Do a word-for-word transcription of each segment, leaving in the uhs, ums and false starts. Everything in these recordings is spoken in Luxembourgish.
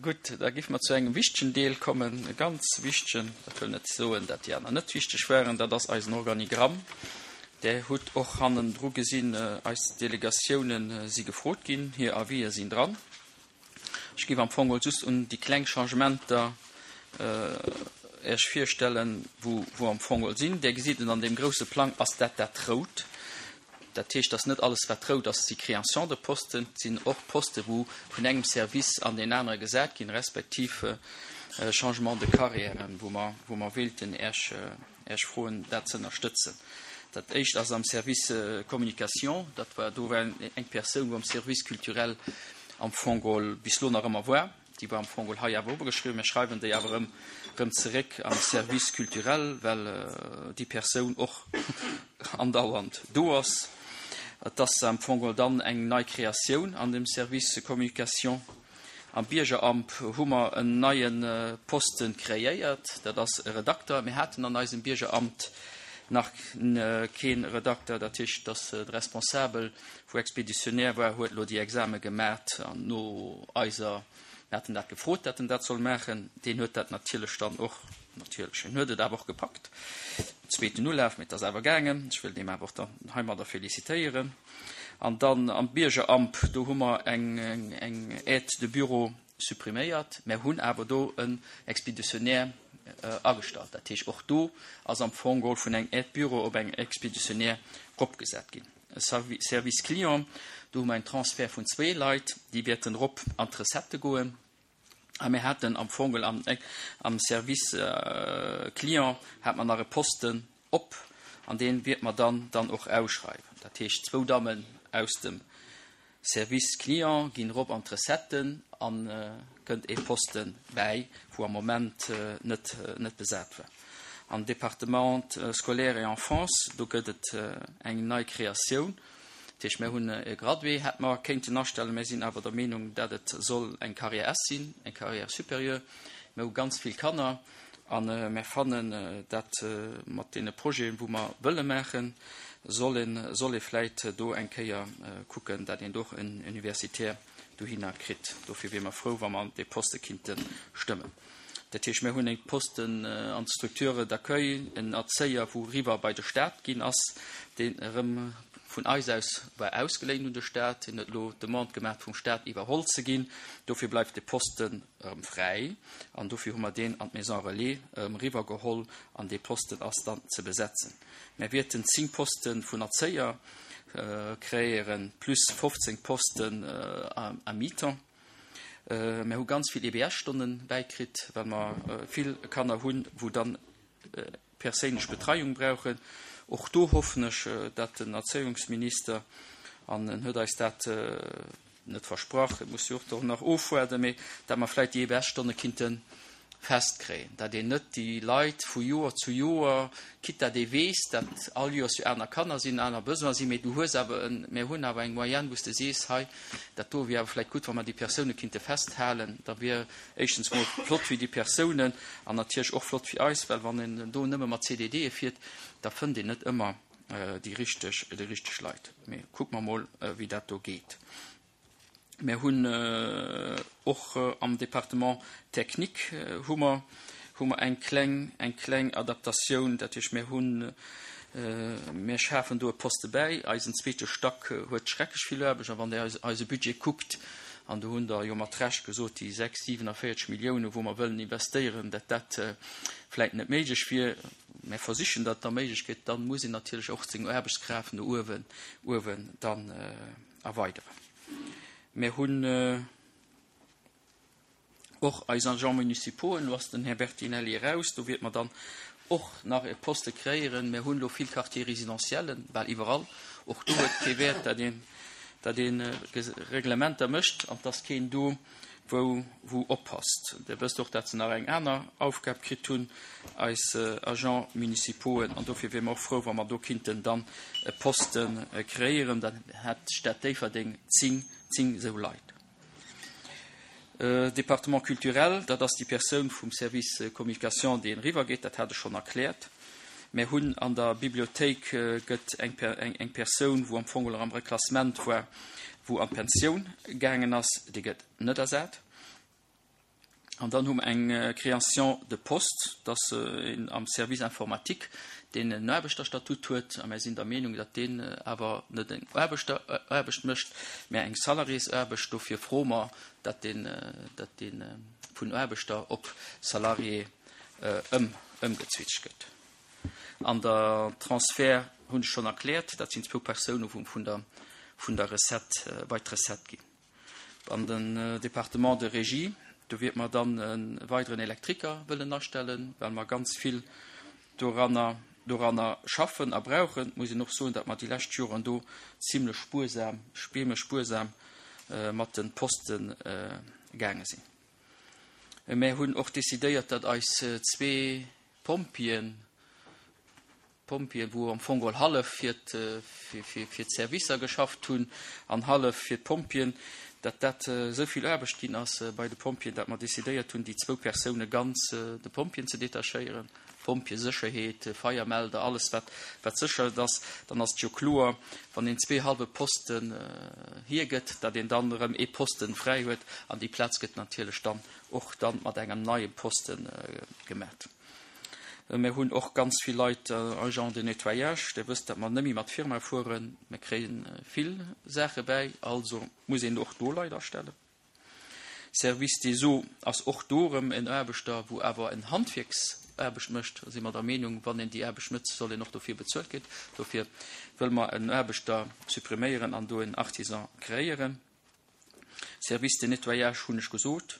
Gutt, da géife mer zu engem wichtegen Deel kommen, e ganz wichtegen, dat wëll net soen, dat déi aner net wichteg waren, dat ass eisen Organigramm. Där hutt och hannendru gesinn, eis Delegatiounen si gefrot ginn, hir Avisë sinn dran. Ech géif am Fong just un déi kleng Changementer Iech virstellen, wou wou am Fong sinn. Där gesitt et an deem grouse Plang ass dat dat Rout. Dat heescht, dass net alles, wat rout ass, si Création de posten. Et sinn och Poste wou vun engem Service an deen anere gesat ginn, respektiv Changement de carrièren, wou mer wou mer wéilten Iech Iech froen, dat ze ënnerstëtzen. Dat éischt ass am Service Communication. Dat war do war eng Persoun, wou am Service culturel am Fong bis elo nach ëmmer war. Déi war am Fong hei awer obergeschriwwen. Mir schreiwen déi awer erëm erëm zeréck am Service culturel, well déi Persoun och andauernd do ass. Et ass am Fong dann eng nei Kreatioun an dem Service Communication. Am Biergeramt hu mer en neie Posten kreéiert, dat ass e Redakter. Mir haten an eisem Biergeramt nach kee Redakter, dat heescht, dass de Responsabel, wou Expéditionnaire war, huet elo déi Exame gemat an no eiser, mir haten dat gefrot, dat en dat soll maachen, deen huet dat natierlech dann och, natierlech, en huet et awer och gepackt, zweeten Ulaf, mee et ass awer gaangen. Ech wëll deem awer och dann heimadder félicitéieren. An dann am Biergeramt, do hu mer eng eng Aide de bureau suppriméiert, mä hunn awer do en Expéditionnaire agestallt. Dat heescht, och do ass am Fong geholl vun engem Aide bureau op eng Expéditionnaire eropgesat ginn. Service client, do hu mer en Transfert vun zwee Leit, déi wäerten erop an d'Recettë goen. A mir haten am Fong am, am Service client hat mer nach e Posten op, an dee wäerte mer dann dann och ausschreiwen. Dat heescht, zwou Dammen aus dem Service client ginn erop an d'Recetten a kënnt ee Poste bäi, wou am Moment net net besat war. Am Département scolaire et enfance, do gëtt et eng nei Kreatioun. Dat heescht, mir hunn e Gradué, hätt mer kéinten astellen, mir sinn awer der Meenung, dat et soll eng Carrière S sinn, eng Carrière supérieure. Mir hu ganz vill Kanner a mir fannen, dat mat deene Projeten, wou mer wëlle maachen, soll een, soll ee vläit do eng Kéier kucken, dat een do och en Universitaire dohinner kritt. Dofir wiere mer frou, wa mer dee Poste kinnte stëmmen. Dat heescht, mir hunn eng Posten an d'Structure d'accueil, en Erzéier, wou eriwwer bei de Stat ginn ass, deen erëm vun eis aus war ausgeléint un de Stat. Hien huet elo d'Demande gemaach, vum Stat iwwerholl ze ginn. Dofir bleift de Posten erëm fräi an dofir hu mer deen an d'Maison relais erëm eriwwergeholl an dee Posten ass dann ze besetzen. Mir wäerten zéng Poste vun Erzéier kreéieren, plus fofzéng Posten à mi-temps. Mir hu ganz vill E B S-Stonne bäikritt, well mer vill Kanner hunn, wou dann perséinlech Betreiung brauchen. Och do hoffen ech, dat den Erzéiungsminister, an en huet eis dat net versprach, et muss jo och do nach ofwaarden, mee dat mer vläicht déi E B S-Stonne kinnte festkréien, dat een net déi Leit vu Joer zu Joer, quitte dat ee weess, dat all Joers jo aner Kanner sinn, aner Besoine sinn, mee du hues awer en, mir hunn awer eng Moyenne, wou s de sees, hei, dat do wier awer vläicht gutt, wa mer déi Persoune kinnte festhalen, da wier éischtens mol flott fir déi Persounen an natierlech och flott fir eis, well wann een do nëmme mat C D Dë fiert, da fënnt een net ëmmer déi richteg, déi richteg Leit. Mee kucke mer mol, wéi dat do geet. Mir hunn och am Département technique hu mer hu mer eng kleng eng kleng Adaptatioun, dat heescht, mir hunn mir schafen do e Poste bäi. Eisen zweete Stack huet schrecklech vill Aarbecht a wann Der eis eise Budget kuckt, an do hunn der jo mat Recht gesot, déi sechs, siewenundvierzeg Milliounen, wou mer wëllen investéieren, dat dat vläicht net méiglech wier. Mir versichen, dat da méiglech gëtt, dann muss een natierlech och seng Aarbechtskraaft no uewen uewen dann erweideren. Mir hunn och eis Agents municipaux, elo ass den Här Bertinelli eraus, do wäerte mer dann och nach e Poste kreéieren. Mir hunn elo vill Quartier résidentiellen, bal iwwerall. Och do huet kee Wäert, dat een dat een Reglementer mécht an dass keen do wou wou oppasst. Dir wësst och, dat se nach eng aner Aufgab kritt hunn, eis Agents municipaux, an dofir wiere mer och frou, wa mer do kinnten dann e Poste kreéieren. Dann hätt d'Stad Déifferdeng zéng zéng esou Leit. Département culturel, dat ass déi Persoun vum Service communication, déi eriwwer geet, dat hat ech schonn erkläert. Mir hunn an der Bibliothéik gëtt eng eng Persoun, wou am Fong am Reklassement war, wou an d'Pensioun gaangen ass, déi gëtt net ersat. An dann hu mer eng Création de poste, dat ass een am Service informatique, deen en Aarbechterstatut huet, a mir sinn der Meenung, datt deen awer net eng Aarbechteraarbecht mécht, mä eng Salariésaarbecht. Dofir froe mer, datt deen, datt dee vun Aarbechter op Salarié ëm, ëmgezwitscht gëtt. An der Transfert hunn ech schonn erkläert, dat sinn zwou Persoune wou vun der, vun der Recette bei d'Recette ginn. An den Département de régie, do wäerte mer dann e weideren Elektriker wëllen astellen, well mer ganz vill doranner, doranner schaffen a brauchen. Et muss een och soen, datt mer déi lescht Joren do zimlech spuersam, spiemeg spuersam mat de Poste gaange sinn. Mär hunn och decidéiert, datt eis zwee Pompjeeën, Pompjeeën, wou am Fong geholl hallef fir fir d'Servicer geschafft hunn an hallef fir d'Pompjeeën, datt dat esou vill Aarbecht ginn ass bei de Pompjeeën, datt mer decidéiert hunn, déi zwou Persoune ganz de Pompjeeën ze detachéieren. Pompjeesécherheet, Feiermelder, alles wat wat Sécherheet ass. Dann ass et jo kloer, wann een zwee hallwe Posten hiergëtt, datt een dann erëm ee Posten fräi huet an déi Plaz gëtt natierlech dann och dann mat engem neie Posten gemat. Mir hunn och ganz vill Leit, Agents de nettoyage. Dir wësst, datt mer net méi mat Firma fueren. Mir kréie vill Saache bäi, also muss een och do Leit astellen. Service des eaux ass och do erëm en Aarbechter, wou awer en Handwierksaarbecht mécht. Da si mer der Meenung, wann een déi Aarbecht mécht, soll een och dofir bezuelt ginn. Dofir wëlle mer en Aarbechter suppriméieren an do en Artisan kreéieren. Service de nettoyage hunn ech gesot.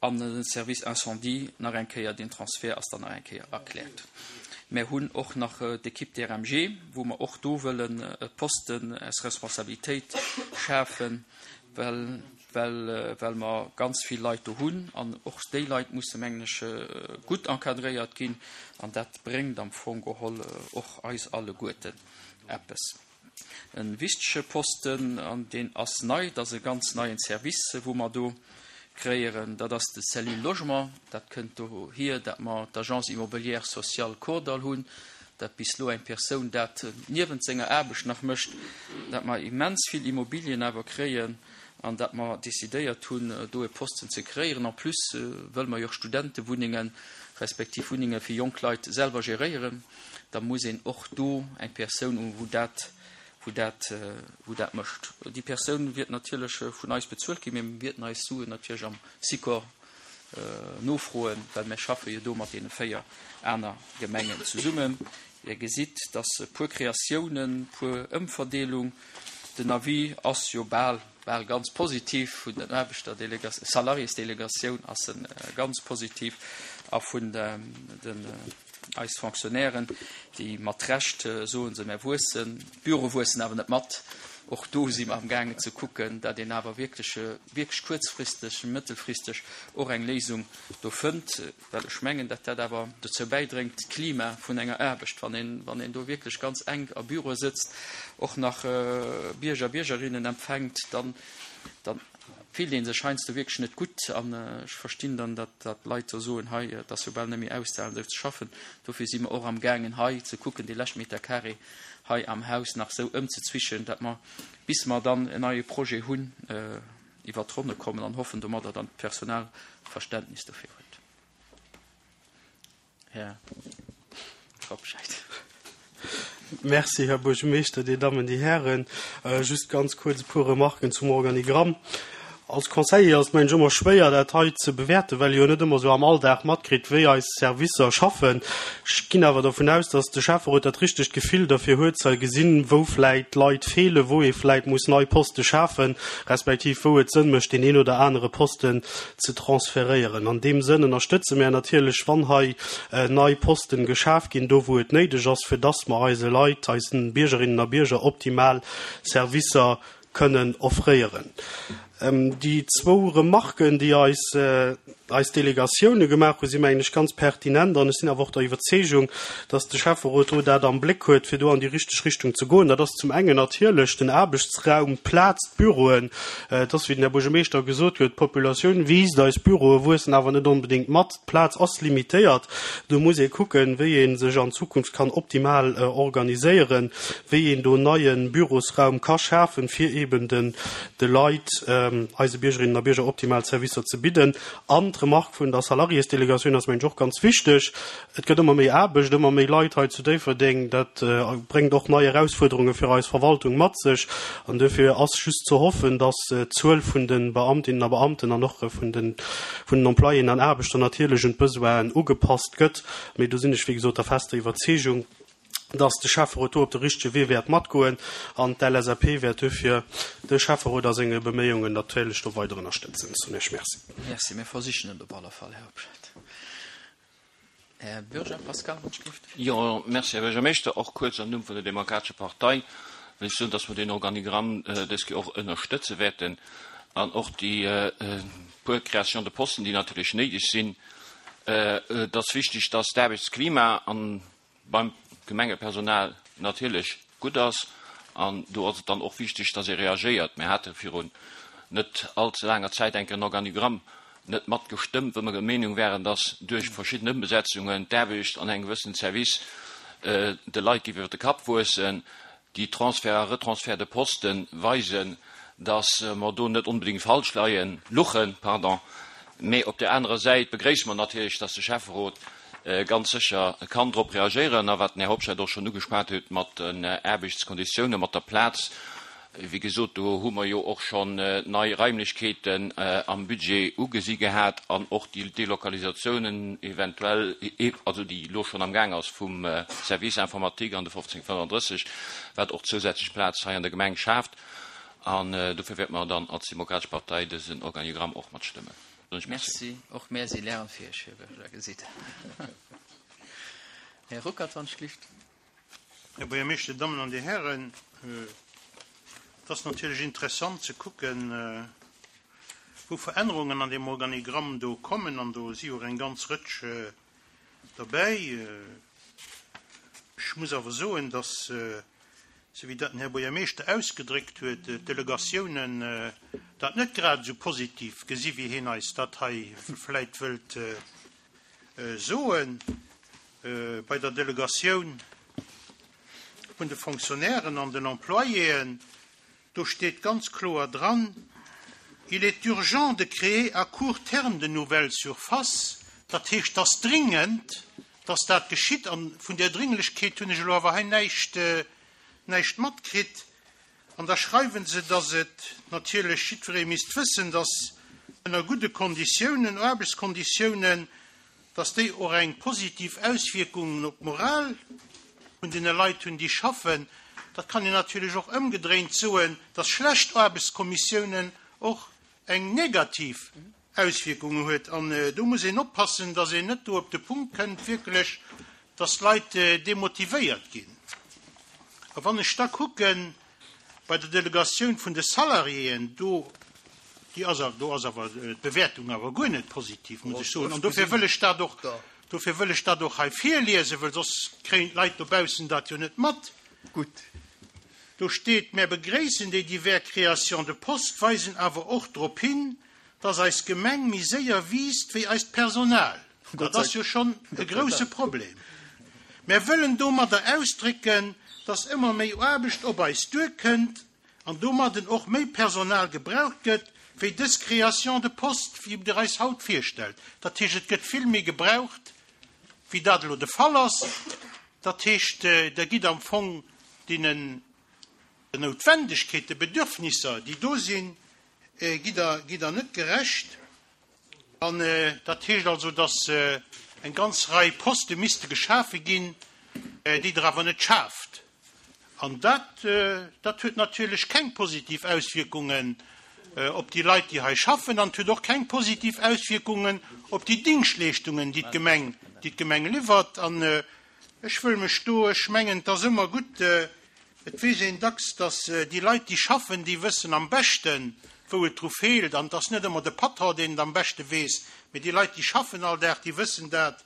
An den Service incendie nach eng Kéier, deen Transfert ass dann nach eng Kéier erkläert. Mär hunn och nach d'Equipe D R M G, wou mer och do wëllen e Posten aus Responsabilitéit schafen, well, well, well mer ganz vill Leit do hunn an och déi Leit musse, mengen ech, gutt encadréiert ginn an dat bréngt am Fong geholl och eis alleguerten eppes. En wichtege Posten, an deen ass nei, dat ass e ganz neien Service, wou mer do kréieren, dat ass de Cellule Logement. Dat kënnt dohier, dat mer d'Agence immobilière sociale Kordall hunn, dat bis elo eng Persoun dat niewent senger Aarbecht nach mécht, dat mer immens vill Immobilien awer kréien an dat mer decidéiert hunn, do e Posten ze kréieren. En plus wëlle mer jo och Studentewunnengen, respektiv Wunnenge fir jonk Leit selwer geréieren. Da muss een och do eng Persoun hunn, wou dat, wou dat, wou dat mécht. Déi Persoun wird natierlech vun eis bezuelt ginn, mee mir wäerten eis Suen natierlech am Sikor nofroen, well mir schaffe jo do mat deene véier aner Gemengen zesummen. Dir gesitt, dass e puer Kreatiounen, puer Ëmverdeelung, den Avis ass jo bal, bal ganz positiv vun den Aarbechterdelegation, Salariésdelegatioun ass en ganz positiv a vun den, den eis Fonctionnairen, déi mat Recht soen se, mir wuessen, d'Büro wuessen awer net mat. Och do si mer am gaangen ze kucken, datt een awer wierklech, wierklech kuerzfristeg, mëttelfristeg och eng Léisung do fënnt, well ech mengen, datt dat awer dozou bäidréngt, d'Klima vun enger Aarbecht, wann een, wann een do wierklech ganz enk a Büroe sëtzt, och nach Bierger, Biergerinnen empfänkt, dann, dann fillt een sech heiansdo wierklech net gutt. An ech verstinn dann, datt, datt Leit do soen, hei, et ass jo bal net méi auszehalen, esou ze schaffen. Dofir si mer och am gaangen, hei ze kucken, dee leschte Meter carré hei am Haus nach esou ëmzezwischen, datt mer, bis mer dann en neie Projet hunn, iwwer d'Ronne kommen an hoffen domadder dann d'Personal Verständnis dofir huet. Här Robscheid. Merci, Här Buergermeeschter, Dir Dammen, Dir Hären. Just ganz kuerz e puer Remarken zum Organigramm. Als Conseiller ass et, mengen ech, ëmmer schwéier, dat hei ze bewäerten, well ee jo net ëmmer esou am Alldag matkritt, wéi eis Servicer schaffen. Ech ginn awer dervun aus, dass de Schäfferot dat richtegt Gefill derfir huet, ze gesinn, wou vläit Leit feelen, wou ee vläit muss nei Poste schafen, respektiv wou et Sënn mécht, deen een oder anere Posten ze transferéieren. An deem Sënn ënnerstëtze mär natierlech, wann hei nei Posten geschaf ginn, do wou et néideg ass, fir dass mer eise Leit, eisen Biergerinnen a Bierger optimal Servicer kënnen offréieren. Déi zwou Remarken, déi eis, eis Delegatioune gemaach hunn, si mengen ech ganz pertinent an ech sinn awer och der Iwwerzeegung, dass de Schäfferot do dat am Bléck huet, fir do an déi richteg Richtung ze goen. Dat ass zum engen natierlech den Aarbechtsraum, d'Plaz, d'Büroen. Et ass, wéi den Här Buergermeeschter gesot huet, d'Populatioun wiisst, eis Büroe wuessen awer net onbedéngt mat. D'Plaz ass limitéiert. Do muss ee kucken, wéi ee sech an Zukunft kann optimal organiséieren, wéi een do neie Bürosraum ka schafen, fir eben den, de Leit, eise Biergerinnen a Bierger optimal Servicer ze bidden. An D'Remark vun der Salariésdelegatioun ass mengen ech och ganz wichteg. Et gëtt ëmmer méi Aarbecht, ëmmer méi Leit hei zu Déifferdeng. Dat bréngt och nei Erausfuerderunge fir eis Verwaltung mat sech. An dofir ass just ze hoffen, dass d'Zuel vun de Beamtinnen a Beamten an och vun den, vun den Employéen an Aarbechter natierlech un d'Besoinen ugepasst gëtt. Mee do sinn ech, wéi gesot, der fester Iwwerzeegung, dass de Schäfferot do op de richtege Wee wäert matgoen an d'LSAP wäert dofir de Schäfferot a senge Beméiungen natierlech do weider ënnerstëtzen. Soen ech Merci. Merci. Mir versichen et op alle Fall, Här Hobscheit. Här Bürger Pascal, Wonschgrift. Jo, merci, Här Buergermeeschter. Och kuerz am Numm vun der Demokratescher Partei wëll ech soen, dass mer deen Organigramm dës Kéier och ënnerstëtze wäerten an och déi puer Créations de posten, déi natierlech néideg sinn. Et ass wichteg, dass d'Aarbechtsklima an beim Gemengepersonal natierlech gutt ass an do ass et dann och wichteg, dass ee reagéiert. Mir hate virun net all ze laanger Zäit eng Kéier en Organigramm net matgestëmmt, wou mer der Meenung waren, dass duerch verschidden Ëmbesetzungen d'Aarbecht an engem gewëssenen Service de Leit géif iwwer de Kapp wuessen. Déi Transferts a Retransferts de poste weisen, dass mer do net onbedéngt falsch leien, luchen, pardon. Mee op där anerer Säit begréisse mer natierlech, dass de Schäfferot ganz sécher kann drop reagéieren. A wat den Här Hobscheit och schonn ugeschwat huet mat den Aarbechtskonditiounen, mat der Plaz, wéi gesot, do hu mer jo och schonn nei Raimlechkeeten am Budget ugesi gehat an och déi Delokalisatiounen eventuell, also déi elo schonn amgaang ass vum Service informatique an de fofzéng fënnefandrësseg, wat och zousätzlech Plaz hei an der Gemeng schaaft. An dofir wäerte mer dann als Demokratesch Partei dësen Organigramm och matstëmmen. Merci. Och mär si lernfäeg, Här Bürger, gesitt. Här Ruckert, wann ech gelift. Här Buergermeeschter, Dir Dammen an Dir Hären, et ass natierlech interessant ze kucken, wou Verännerungen an deem Organigramm do kommen, an do si jo och eng ganz Rëtsch derbäi. Ech muss awer soen, dass, esou wéi dat den Här Buergermeeschter ausgedréckt huet, d'Delegatiounen dat net grad esou positiv gesi wéi hien eis dat hei vläit wëllt soen. Bei der Delegatioun vun de Fonctionnairen an den Employéen, do steet ganz kloer dran, Il est urgent de créer à court terme de nouvelles surfaces. Dat heescht, dass dringend, dass dat geschitt, an vun där Dringlechkeet hunn ech elo awer hei näischt, näischt matkritt. An da schreiwen se, dass et natierlech jiddweree misst wëssen, dass ënner gudde Konditiounen, Aarbechtskonditiounen, dass déi och eng positiv Auswierkung op d'Moral vun deene Leit hunn, déi schaffen. Dat kann een natierlech och ëmgedréint soen, dass schlecht Aarbechtskommissiounen och eng negativ Auswierkung huet. An do muss een oppassen, dass een net do op de Punkt kënnt wierklech, dass d'Leit demotivéiert ginn. A wann ech da kucken, bei der Delegatioun vun de Salariéen, do, déi ass, do ass awer d'Bewäertung awer guer net positiv, muss ech soen. An dofir wëll ech dat och, dofir wëll ech dat och hei virliesen, well soss kréien d'Leit dobaussen dat jo net mat. Gutt. Do steet, Mär begréissen déi divers Créations de postes, weisen awer och drop hin, dass eis Gemeng méi séier wiisst wéi eist Personal. Dat ass jo schonn e grousse Problem. Mär wëllen domadder ausdrécken, dass ëmmer méi Aarbecht op eis duerkënnt an domadden och méi Personal gebraucht gëtt, wéi dës Création de poste, wéi Der eis haut virstellt. Dat heescht, et gëtt vill méi gebraucht, wéi dat elo de Fall ass. Dat heescht, Der gitt am Fong deenen Noutwendegkeet, de Bedürfnisser, déi do sinn, gitt Der, gitt Der net gerecht. An dat heescht also, dass eng ganz Rei Poste misste geschafe ginn, déi Der awer net schaaft. An dat, dat huet natierlech keng positiv Auswierkungen op déi Leit, déi hei schaffen, an et huet och keng positiv Auswierkungen op déi Dingschtleeschtungen, déi d'Gemeng, déi d'Gemeng liwwert. An ech wëll mech do, ech mengen, et ass ëmmer gutt, et weess een dacks, dass déi Leit, déi schaffen, déi wëssen am beschten, wou et dru feelt. An et ass net ëmmer de Patron, deen et am beschte weess, mee déi Leit, déi schaffen all Dag, déi wëssen dat.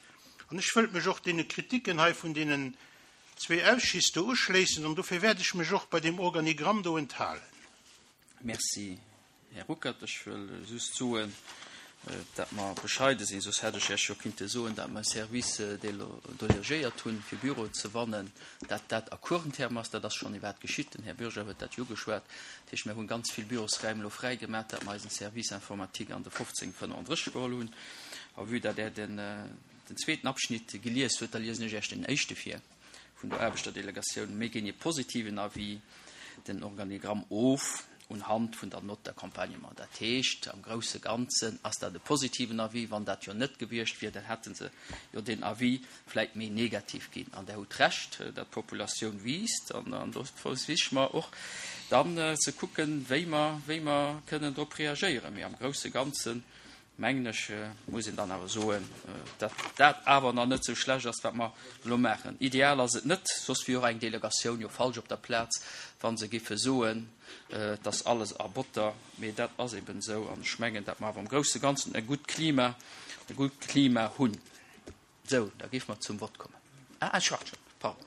An ech wëllt mech och deene Kritiken hei vun deenen zwee Ausschüss do uschléissen, an dofir wäert ech mech och bei deem Organigramm do enthalen. Merci, Här Ruckert. Ech wëll just soen, Dat mer bescheide sinn, soss hätt ech Iech jo kinnte soen, dat mer e Service delegéiert hunn, fir Büroen ze wannen, dat dat à court terme ass. Dat ass schonn iwwerhaapt geschitt, den Här Bürger huet dat jo ugeschwat. Dat heescht, mir hunn ganz vill Bürosräim elo fräi gemaach, dat mer eisen Service informatique an de fofzéng fënnenddrësseg geholl hunn. A vue dat Der den zweeten Abschnitt gelies hutt, da liesen ech Iech den éischte vir vun der Aarbechterdelegatioun. Mir ginn e positiven Avis den Organigramm of unhand vun der Note d'accompagnement. Dat heescht, am grousse Ganzen ass dat e positiven Avis. Wann dat jo net gewiescht wier, dann hätte se jo den Avis vläicht méi negativ ginn. An Der hutt Recht, datt d'Populatioun wiisst. An do versiche mer och dann ze kucken, wéi mer, wéi mer kënnen drop reagéieren. Mee am grousse Ganzen mengen ech, muss een dann awer soen, datt dat awer nach net esou schlecht ass, wat mer elo maachen. Ideal ass et net, soss wier och eng Delegatioun jo falsch op der Plaz, wa se géife soen, et ass alles a Botter. Mee dat ass eben esou an ech mengen, datt mer awer am grousse Ganzen e gutt Klima, e gutt Klima hunn. Esou, da géife mer zum Vott kommen. Ah, Här Schwachtgen, pardon.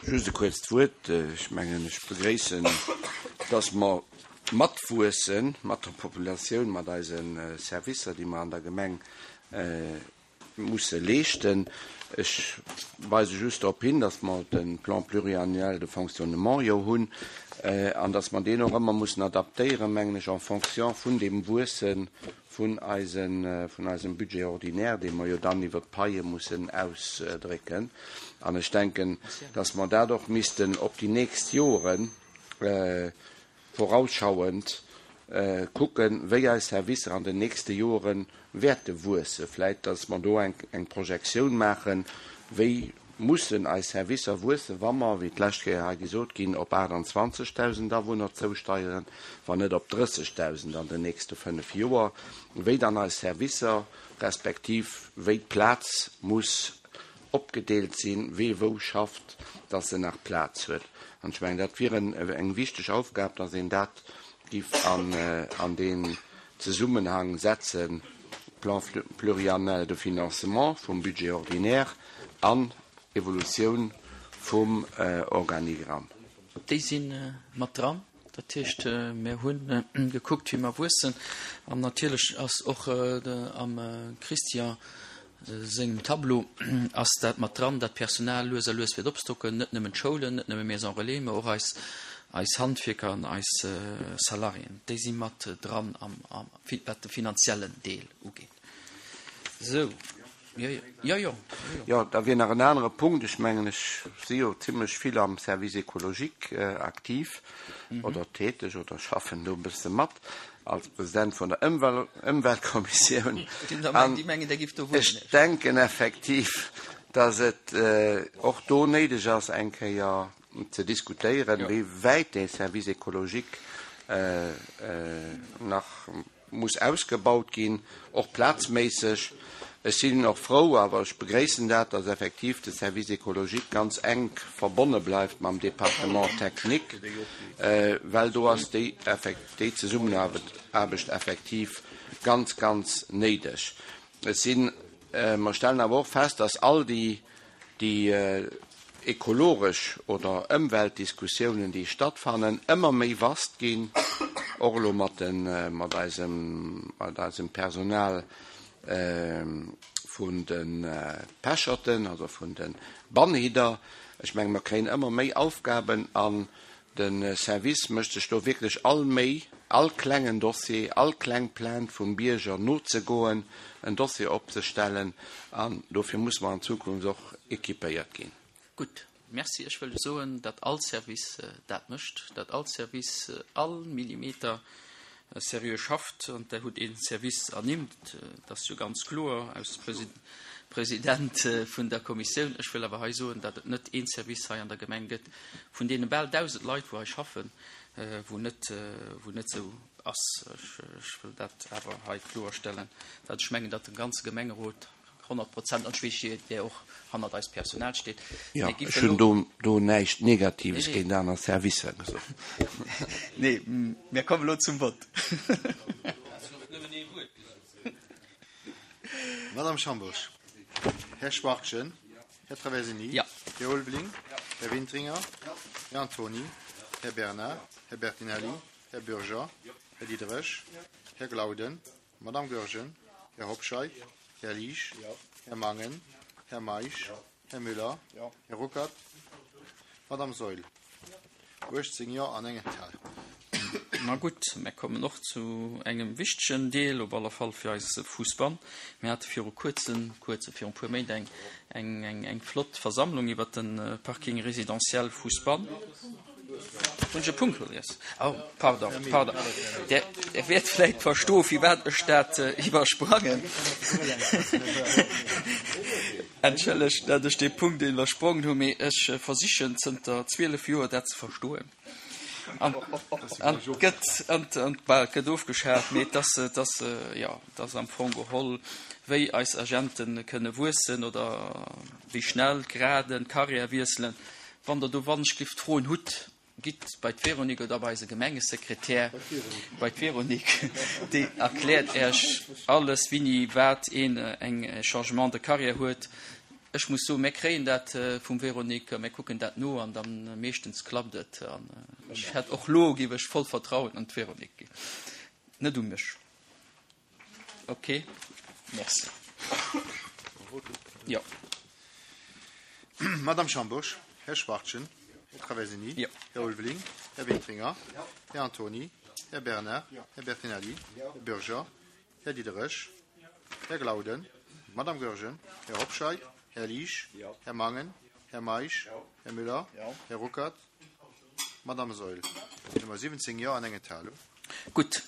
Just e kuerzt Wuert. Ech mengen, ech begréissen, dass mer matwuesse mat der Populatioun, mat eise Servicer, déi mer an der Gemeng musse leeschten. Ech weise just drop hin, dass mer de Plan pluriannuel de fonctionnement jo hunn an dass mer deen och ëmmer mussen adaptéieren, mengen ech, en fonction vun deem Wuesse vun eisem Budget ordinaire, dee mer jo dann iwwert d'Paie mussen ausdrécken. An ech denken, dass mer dat och missten op déi nächst Joren vorausschauend kucken, wéi eis Servicer an den nächste Jore wäerte wuessen. Vläicht, dass mer do eng Projektioun maachen, wéi mussen eis Servicer wuessen, wa mer, wéi d'lescht Kéier hei gesot ginn, op aachtanzwanzegdausend Awunner zousteieren, wann net op drëssegdausend an den nächste fënnef Joer, wéi dann eis Servicer respektiv wéi d'Plaz muss opgedeelt sinn, wee wou schafft, dass en nach Plaz huet. An ech mengen, dat wier eng wichteg Aufgab, dass een dat géif an deen Zesummenhang setzen, Plan pluriannuel de financement vum Budget ordinaire an Evolutioun vum Organigramm. Déi si mat dran. Dat heescht, mir hu gekuckt, wéi mer wuessen. An natierlech ass och am Christian sengem Tableau ass dat mat dran, dat d'Personal lues a lues wäert opstocken, net nëmmen d'Schoulen, net nëmme Maison Relais, mä och eis, eis Handwierker an eis Salariéen. Déi si mat dran am, am, wat de finanziellen Deel ugeet. Sou. Jo, jo. Jo, jo. Jo, da wier nach en anere Punkt. Ech mengen, ech si jo zimlech vill am Service écologique aktiv oder täteg oder schaffen do e bësse mat als President vun der Ëmweltkommissioun. An ech denken effektiv, dass et och do néideg ass, eng Kéier ze diskutéieren, wéi wäit dee Service écologique nach muss ausgebaut ginn, och plazméisseg. Ech sinn och frou, awer ech begréissen dat, dass effektiv de Service écologique ganz enk verbonne bleift mam Département technique, well do ass déi déi Zesummenaarbecht effektiv ganz, ganz néideg. Et sinn, mer stellen awer och fest, dass all déi déi ekologesch oder Ëmweltdiskussiounen, déi stattfannen, ëmmer méi vast ginn, och elo mat den, mat eisem, mat eisem Personal vun de Pecherten, also vun de Bannhidder. Ech menge mer kréien ëmmer méi Aufgaben an de Service mécht sech do wierklech all Méi, all klengen Dossier, all kleng Plainte vum Bierger nozegoen, en Dossier opzestellen an dofir muss mer an Zukunft och équipéiert ginn. Gutt, merci. Ech wëll soen, datt all Service dat mécht, datt all Service all Millimeter seriö schafft an Der hutt ee Service ernimmt, dat ass jo ganz kloer als President vun der Kommissioun. Ech wëll awer hei soen, datt et net een Service hei an der Gemeng gëtt vun deene bal dausend Leit, wou hei schaffen, wou net, wou net esou ass. Ech wëll dat awer hei kloerstellen, datt ech mengen, datt de ganze Gemengerot honnert Prozent, an ech weess, der och hannert eist Personal steet. Jo, ech hunn do, do näischt Negatives géint aner Servicer gesot. Nee, mir kommen elo zum Vott. Madame Schambourg, Här Schwachtgen, Här Traversini, Här Ulveling, Här Wintringer, Här Antony, Här Bernard, Här Bertinelli, Här Bürger, Här Diderich, Här Glauden, Madame Goergen, Här Hobscheit, Här Liesch, Här Mangen, Här Meisch, Här Müller, Här Ruckert, Madame Saeul. uechtzéng Jo an eng Enthalung. Ma gutt, mir kommen och zu engem wichtegen Deel, op alle Fall fir eise Fuussbann. Mir hate viru kuerzem, kuerze, virun e puer Méint eng, eng, eng, eng flott Versammlung iwwert de Parking résidentiel Fuussbann. Hunn ech e Punkt vergiess? Oh, pardon, pardon. Der, der wäert vläicht verstoen, firwat ech dat iwwersprangen. Entschëllegt, datt ech dee Punkt iwwersprongen hunn, mee ech versichen zënter zwielef Joer dat ze verstoen. An, an et gëtt, an, an, bah, et gëtt ofgeschat, mee et ass, et ass, jo, et ass am Fong geholl, wéi eis Agente kënne wuessen oder wéi schnell d'Graden, d'Carrière wiesselen. Wann Der do wannechgelift Froen hutt, gitt bei d'Véronique oder bei eise Gemengesekretär, bei d'Véronique, déi erkläert Iech alles, wéini wat een eng Changement de carrière huet. Ech muss soen, mir kréien dat vum Véronique, mir kucken dat no an da meeschtens klappt et. An ech hätt och lo, géif ech voll Vertrauen an d'Véronique ginn, net u mech. Ok, merci. Jo. Madame Schambourg, Här Schwachtgen, Här Traversini, Jo. Här Ulveling, Här Wintringer, Här Antony, Här Bernard, Här Bertinelli, Här Bürger, Här Diderich, Här Glauden, Madame Goergen, Här Hobscheit, Här Liesch, Här Mangen, Här Meisch, Här Müller, Här Ruckert, Madame Saeul. Nummer siwwenzéng Jo an eng Enthalung. Gutt.